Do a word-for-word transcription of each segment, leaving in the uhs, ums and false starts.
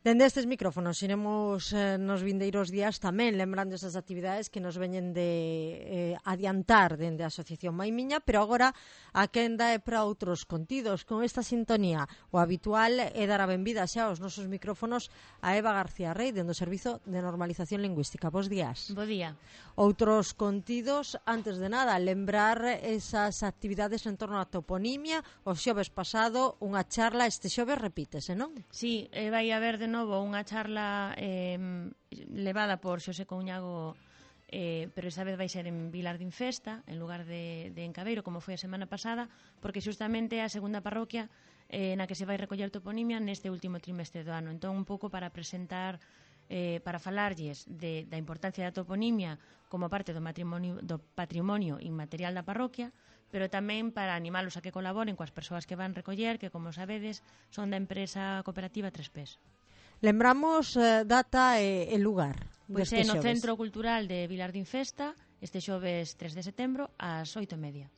Dende estes micrófonos iremos eh, nos vindeiros días tamén lembrando esas actividades que nos veñen de eh, adiantar dende a Asociación Maimiña, pero agora a quenda é para outros contidos. Con esta sintonía, o habitual é dar a benvida xa aos nosos micrófonos a Eva García Rey, dende o Servizo de Normalización Lingüística. Bos días. Bo día. Outros contidos, antes de nada, lembrar esas actividades en torno á toponimia. O xoves pasado, unha charla, este xoves repítese, non? Sí, eh, vai haber de novo unha charla eh, levada por Xosé Couñago, eh, pero esta vez vai ser en Vilar de Infesta, en lugar de, de en Cabeiro, como foi a semana pasada, porque xustamente é a segunda parroquia eh, na que se vai recoller toponimia neste último trimestre do ano. Entón, un pouco para presentar, eh, para falarlles de, da importancia da toponimia como parte do, matrimonio, do patrimonio inmaterial da parroquia, pero tamén para animalos a que colaboren coas persoas que van recoller, que, como sabedes, son da empresa cooperativa Tres Pés. Lembramos eh, data e, e lugar. Pois é no Centro Cultural de Vilar de Infesta, este xoves tres de setembro, ás oito e media.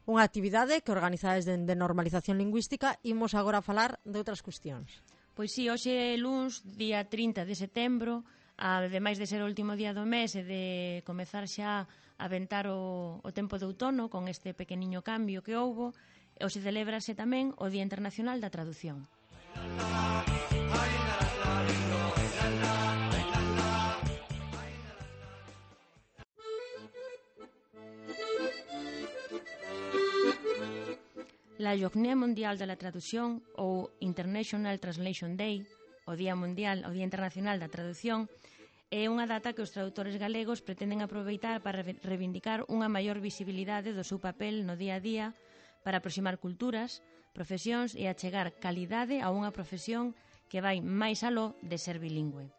Unha actividade que organizades de, de normalización lingüística. Imos agora a falar de outras cuestións. Pois sí, hoxe é luns, día trinta de setembro, ademais de ser o último día do mes e de comezar xa a ventar o, o tempo de outono con este pequeniño cambio que houbo, hoxe celébrase tamén o Día Internacional da Traducción. La Journée Mondial de la Traducción, ou International Translation Day, o Día Mundial, o Día Internacional da Traducción, é unha data que os traductores galegos pretenden aproveitar para reivindicar unha maior visibilidade do seu papel no día a día, para aproximar culturas, profesións e achegar calidade a unha profesión que vai máis aló de ser bilingüe.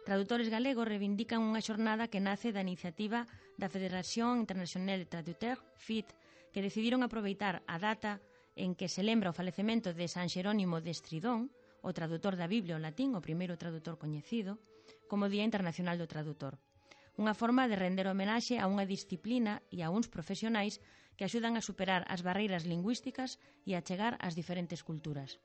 Tradutores galegos reivindican unha xornada que nace da iniciativa da Federación Internacional de Traduteurs, F I T, que decidiron aproveitar a data en que se lembra o falecemento de San Xerónimo de Estridón, o tradutor da Biblia ao latín, o primeiro tradutor coñecido, como Día Internacional do Tradutor. Unha forma de render homenaxe a unha disciplina e a uns profesionais que axudan a superar as barreiras lingüísticas e a chegar ás diferentes culturas.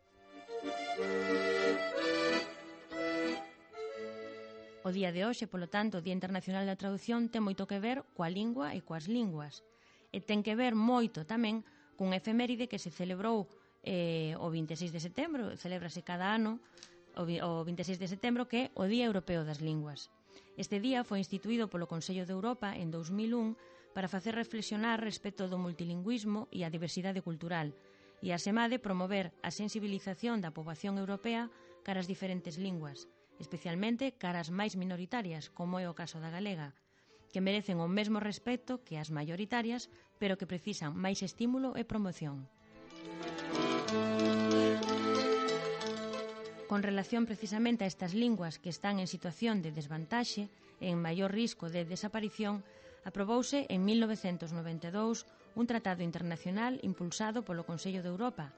O día de hoxe, polo tanto, o Día Internacional da Traducción, ten moito que ver coa lingua e coas linguas. E ten que ver moito tamén cun efeméride que se celebrou eh, o vinte e seis de setembro, celébrase cada ano o, o vinte e seis de setembro, que é o Día Europeo das Linguas. Este día foi instituído polo Consello de Europa en dous mil un para facer reflexionar respecto do multilingüismo e a diversidade cultural e, asemade, promover a sensibilización da poboación europea cara as diferentes linguas, especialmente cara as máis minoritarias, como é o caso da galega, que merecen o mesmo respecto que as maioritarias, pero que precisan máis estímulo e promoción. Con relación precisamente a estas linguas que están en situación de desvantaxe e en maior risco de desaparición, aprobouse en mil novecentos noventa e dous un tratado internacional impulsado polo Consello de Europa,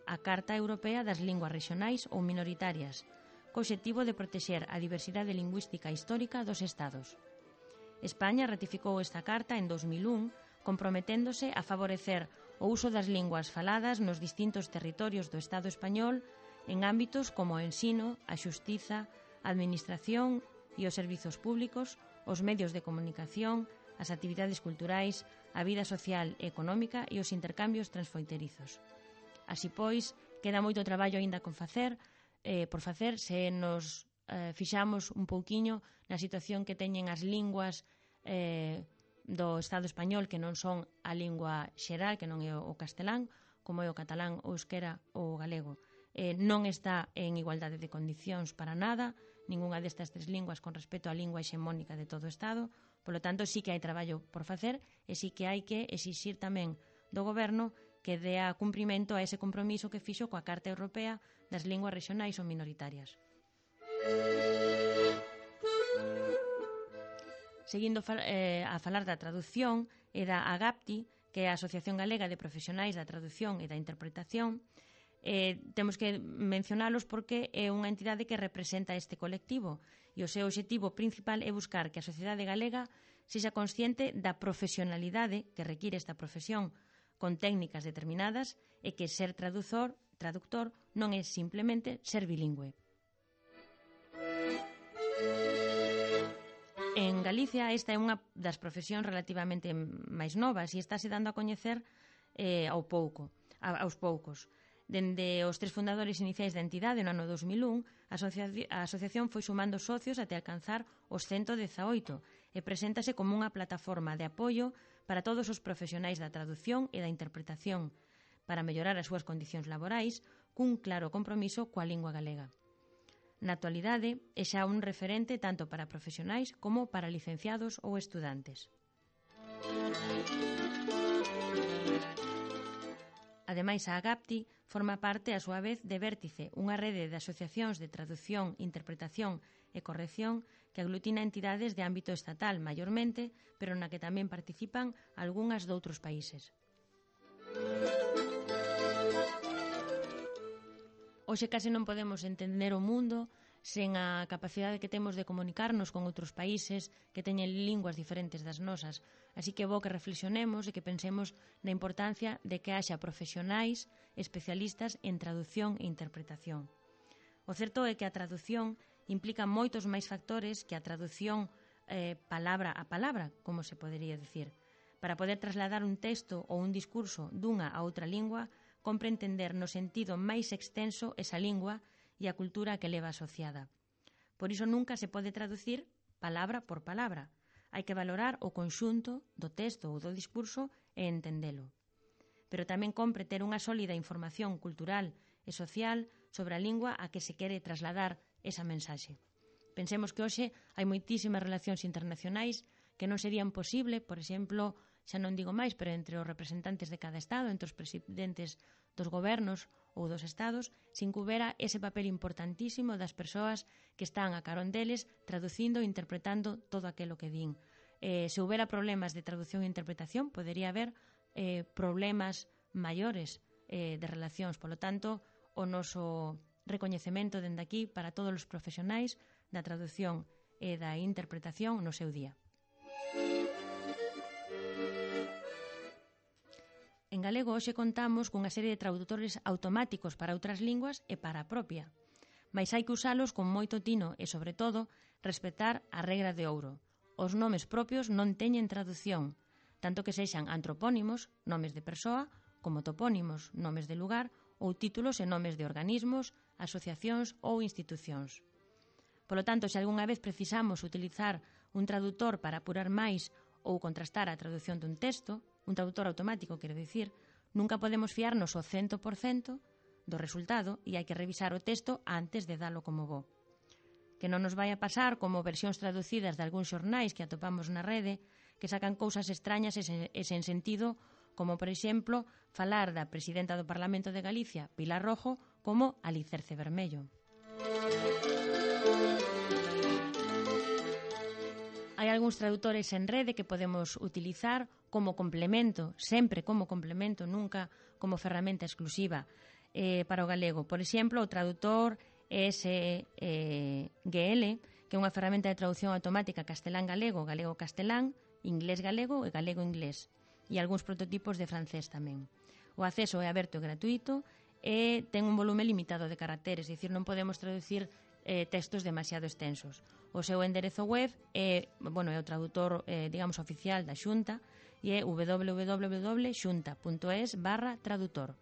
a Carta Europea das Linguas Rexionais ou Minoritarias, co obxectivo de protexer a diversidade lingüística histórica dos Estados. España ratificou esta carta en dous mil un, comprometéndose a favorecer o uso das linguas faladas nos distintos territorios do Estado español en ámbitos como o ensino, a xustiza, a administración e os servizos públicos, os medios de comunicación, as actividades culturais, a vida social e económica e os intercambios transfronterizos. Así pois, queda moito traballo aínda con facer, eh, por facer se nos eh, fixamos un pouquiño na situación que teñen as linguas eh, do Estado español, que non son a lingua xeral, que non é o castelán, como é o catalán, o euskera ou o galego. Eh, non está en igualdade de condicións para nada, ningunha destas tres linguas con respecto á lingua hexemónica de todo o Estado, polo tanto, sí que hai traballo por facer e sí que hai que exixir tamén do goberno que dea cumprimento a ese compromiso que fixo coa Carta Europea das Linguas Rexionais ou Minoritarias. Seguindo eh, a falar da traducción e da AGAPTI, que é a Asociación Galega de Profesionais da Traducción e da Interpretación, eh, temos que mencionalos porque é unha entidade que representa este colectivo e o seu obxectivo principal é buscar que a sociedade galega sexa consciente da profesionalidade que require esta profesión con técnicas determinadas e que ser traductor, traductor non é simplemente ser bilingüe. En Galicia esta é unha das profesións relativamente máis novas e estáse dando a coñecer eh, ao pouco, a, aos poucos. Dende os tres fundadores iniciais da entidade no ano dos mil un, a, asocia a asociación foi sumando socios até alcanzar os ciento dezaoito e preséntase como unha plataforma de apoio para todos os profesionais da traducción e da interpretación para mellorar as súas condicións laborais cun claro compromiso coa lingua galega. Na actualidade, é xa un referente tanto para profesionais como para licenciados ou estudantes. Ademais, a AGAPTI forma parte, a súa vez, de Vértice, unha rede de asociacións de traducción, interpretación e corrección que aglutina entidades de ámbito estatal, maiormente, pero na que tamén participan algunhas doutros países. Hoxe case non podemos entender o mundo sen a capacidade que temos de comunicarnos con outros países que teñen linguas diferentes das nosas. Así que é bo que reflexionemos e que pensemos na importancia de que haxa profesionais especialistas en traducción e interpretación. O certo é que a traducción implica moitos máis factores que a traducción eh, palabra a palabra, como se podería dicir. Para poder trasladar un texto ou un discurso dunha a outra lingua, compre entender no sentido máis extenso esa lingua e a cultura que leva asociada. Por iso nunca se pode traducir palabra por palabra. Hai que valorar o conxunto do texto ou do discurso e entendelo. Pero tamén compre ter unha sólida información cultural e social sobre a lingua a que se quere trasladar esa mensaxe. Pensemos que hoxe hai moitísimas relacións internacionais que non serían posible, por exemplo, xa non digo máis, pero entre os representantes de cada estado, entre os presidentes dos gobernos ou dos estados, sin que houbera ese papel importantísimo das persoas que están a carón deles traducindo e interpretando todo aquilo que din. Eh, se houbera problemas de traducción e interpretación, podería haber eh, problemas maiores eh, de relacións. Polo tanto, o noso recoñecemento dende aquí para todos os profesionais da traducción e da interpretación no seu día. En galego hoxe contamos cunha serie de traductores automáticos para outras linguas e para a propia. Mais hai que usalos con moito tino e, sobre todo, respetar a regra de ouro. Os nomes propios non teñen traducción, tanto que sexan antropónimos, nomes de persoa, como topónimos, nomes de lugar, ou títulos e nomes de organismos, asociacións ou institucións. Polo tanto, se algunha vez precisamos utilizar un traductor para apurar máis ou contrastar a traducción dun texto, un traductor automático, quero dicir, nunca podemos fiarnos ao cento por cento do resultado e hai que revisar o texto antes de dalo como bo. Que non nos vai a pasar como versións traducidas de algúns xornais que atopamos na rede que sacan cousas extrañas e sen, e sen sentido, como, por exemplo, falar da presidenta do Parlamento de Galicia, Pilar Rojo, como alicerce vermello. Hai algúns traductores en rede que podemos utilizar como complemento, sempre como complemento, nunca como ferramenta exclusiva eh, para o galego. Por exemplo, o traductor S G L, que é unha ferramenta de traducción automática castelán-galego, galego-castelán, inglés-galego e galego-inglés, e algúns prototipos de francés tamén. O acceso é aberto e gratuito e ten un volume limitado de caracteres, é dicir, non podemos traducir eh, textos demasiado extensos. O seu enderezo web é, bueno, é o traductor, eh, digamos, oficial da Xunta e é w w w punto xunta punto es barra traductor.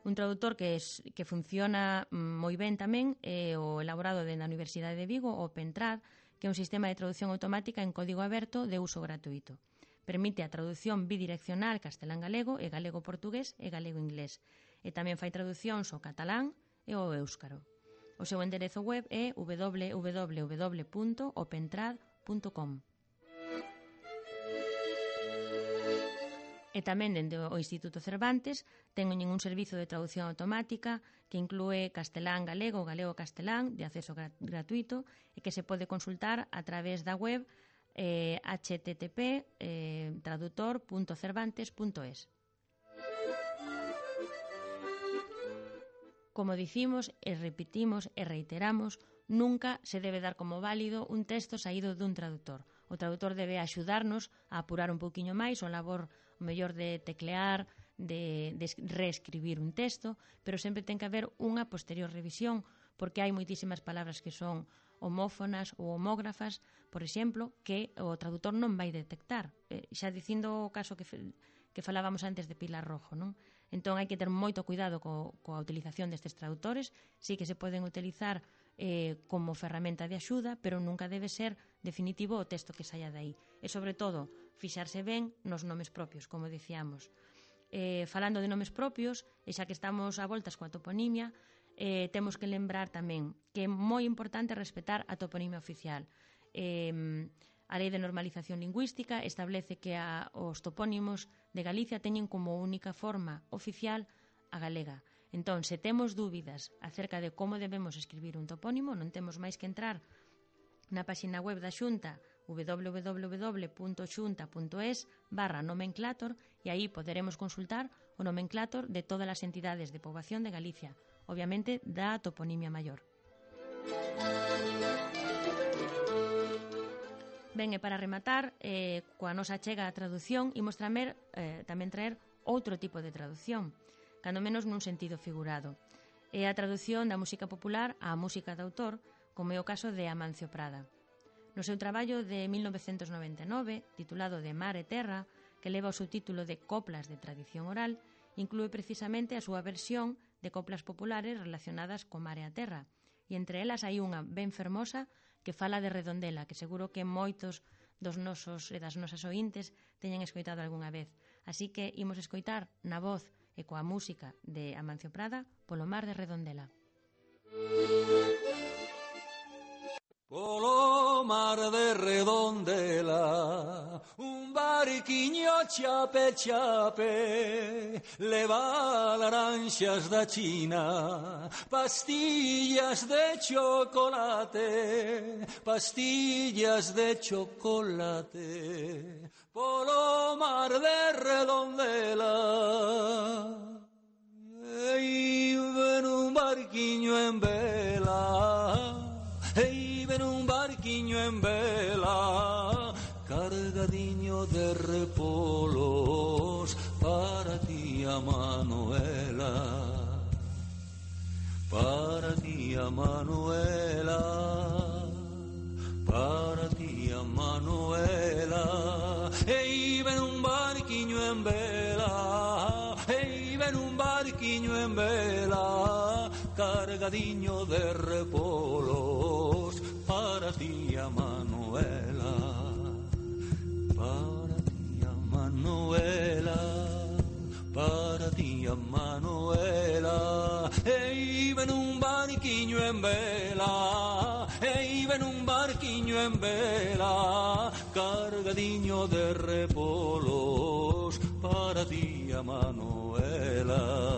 Un traductor que, es, que funciona moi ben tamén é o elaborado na Universidade de Vigo, o OpenTrad, que é un sistema de traducción automática en código aberto de uso gratuito. Permite a traducción bidireccional castelán-galego e galego-portugués e galego-inglés. E tamén fai traducións ao catalán e ao éuscaro. O seu enderezo web é w w w punto opentrad punto com. E tamén dende o Instituto Cervantes teñen un servizo de traducción automática que inclúe castelán-galego, galego-castelán, de acceso gratuito e que se pode consultar a través da web eh, h t t p eh, traductor punto cervantes punto es. como dicimos e repetimos e reiteramos, nunca se debe dar como válido un texto saído dun traductor. O traductor debe axudarnos a apurar un pouquiño máis o labor o mellor de teclear, de, de reescribir un texto, pero sempre ten que haber unha posterior revisión, porque hai moitísimas palabras que son homófonas ou homógrafas, por exemplo, que o traductor non vai detectar. Eh, xa dicindo o caso que, que falábamos antes de Pilar Rojo, non? Entón hai que ter moito cuidado co, coa utilización destes traductores, sí que se poden utilizar eh, como ferramenta de axuda, pero nunca debe ser definitivo o texto que saia dai. E, sobre todo, fixarse ben nos nomes propios, como dicíamos. Eh, falando de nomes propios, e xa que estamos a voltas coa toponimia, eh, temos que lembrar tamén que é moi importante respetar a toponimia oficial. Eh, a Lei de Normalización Lingüística establece que a, os topónimos de Galicia teñen como única forma oficial a galega. Entón, se temos dúbidas acerca de como debemos escribir un topónimo, non temos máis que entrar na página web da Xunta w w w punto xunta punto es barra nomenclator e aí poderemos consultar o nomenclator de todas as entidades de poboación de Galicia, obviamente da toponimia maior. Ben, e para rematar, eh, coa nosa chega a traducción, imos tramer, eh, tamén traer outro tipo de traducción, cando menos nun sentido figurado. É a traducción da música popular á música de autor, como é o caso de Amancio Prada. No seu traballo de mil novecentos noventa e nove, titulado De Mar e Terra, que leva o subtítulo de Coplas de Tradición Oral, inclúe precisamente a súa versión de coplas populares relacionadas co mar e a terra, e entre elas hai unha ben fermosa que fala de Redondela, que seguro que moitos dos nosos e das nosas ointes teñen escoitado algunha vez. Así que imos escoitar na voz e coa música de Amancio Prada Polo mar de Redondela. Polo mar de Redondela, un barquiño chape chape, leva laranxas da China, pastillas de chocolate, pastillas de chocolate. Polo mar de Redondela, e ven un barquiño en vela, hey, ven un barquiño en vela, cargadiño de repolos, para ti, Manuela, para ti, Manuela, para ti, Manuela. Hey, ven un barquiño en vela, hey, ven un barquiño en vela, cargadiño de repolos, para ti, Manuela, para ti, Manuela, para ti, Manuela. Hey, ven un barquiño en vela, hey, ven un barquiño en vela, cargadiño de repolos, para ti, Manuela.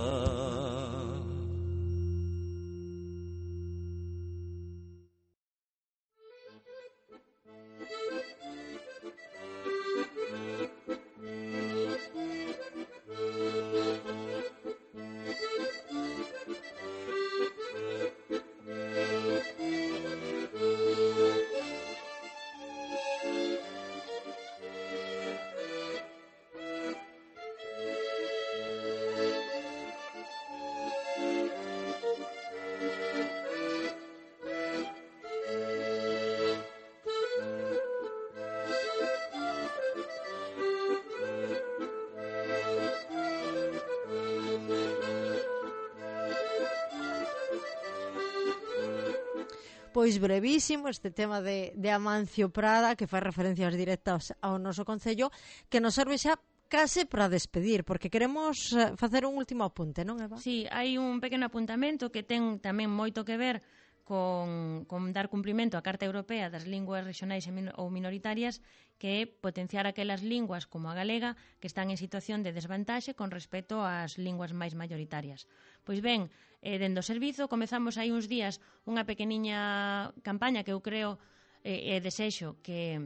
Pois brevísimo este tema de, de Amancio Prada, que fai referencias directas ao noso concello, que nos serve xa case para despedir, porque queremos facer un último apunte, non, Eva? Sí, hai un pequeno apuntamento que ten tamén moito que ver con, con dar cumprimento á Carta Europea das Linguas Regionais ou Minoritarias, que é potenciar aquelas linguas como a galega que están en situación de desvantaxe con respecto ás linguas máis maioritarias. Pois ben, eh, dende o servizo comezamos hai uns días unha pequeniña campaña que eu creo e eh, desexo que,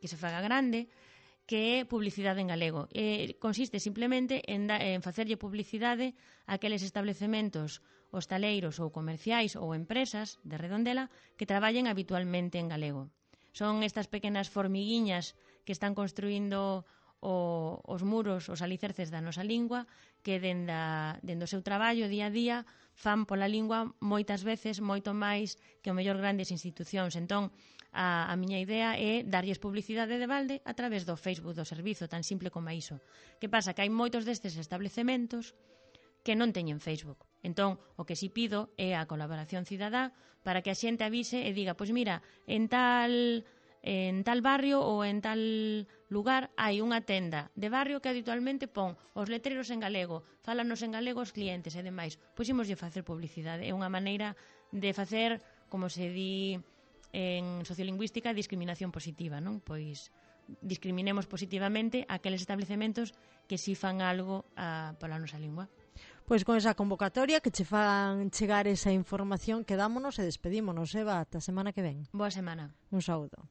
que se faga grande, que é publicidade en galego. Eh, consiste simplemente en, da, en facerlle publicidade a aqueles establecementos hostaleiros ou comerciais ou empresas de Redondela que traballen habitualmente en galego. Son estas pequenas formiguiñas que están construindo o, os muros, os alicerces da nosa lingua, que dende, a, dende o seu traballo día a día fan pola lingua moitas veces moito máis que o mellor grandes institucións. Entón, a, a miña idea é darlles publicidade de balde a través do Facebook do servizo, tan simple como iso. Que pasa? Que hai moitos destes establecementos que non teñen Facebook. Entón, o que si pido é a colaboración cidadá para que a xente avise e diga, pois mira, en tal en tal barrio ou en tal lugar hai unha tenda de barrio que habitualmente pon os letreros en galego, fálanos en galego os clientes e demais. Pois imoslle facer publicidade. É unha maneira de facer, como se di en sociolingüística, discriminación positiva, non? Pois discriminemos positivamente aqueles establecementos que si fan algo a, pola nosa lingua. Pois con esa convocatoria que che fan chegar esa información, quedámonos e despedímonos, Eva, ata a semana que ven. Boa semana. Un saúdo.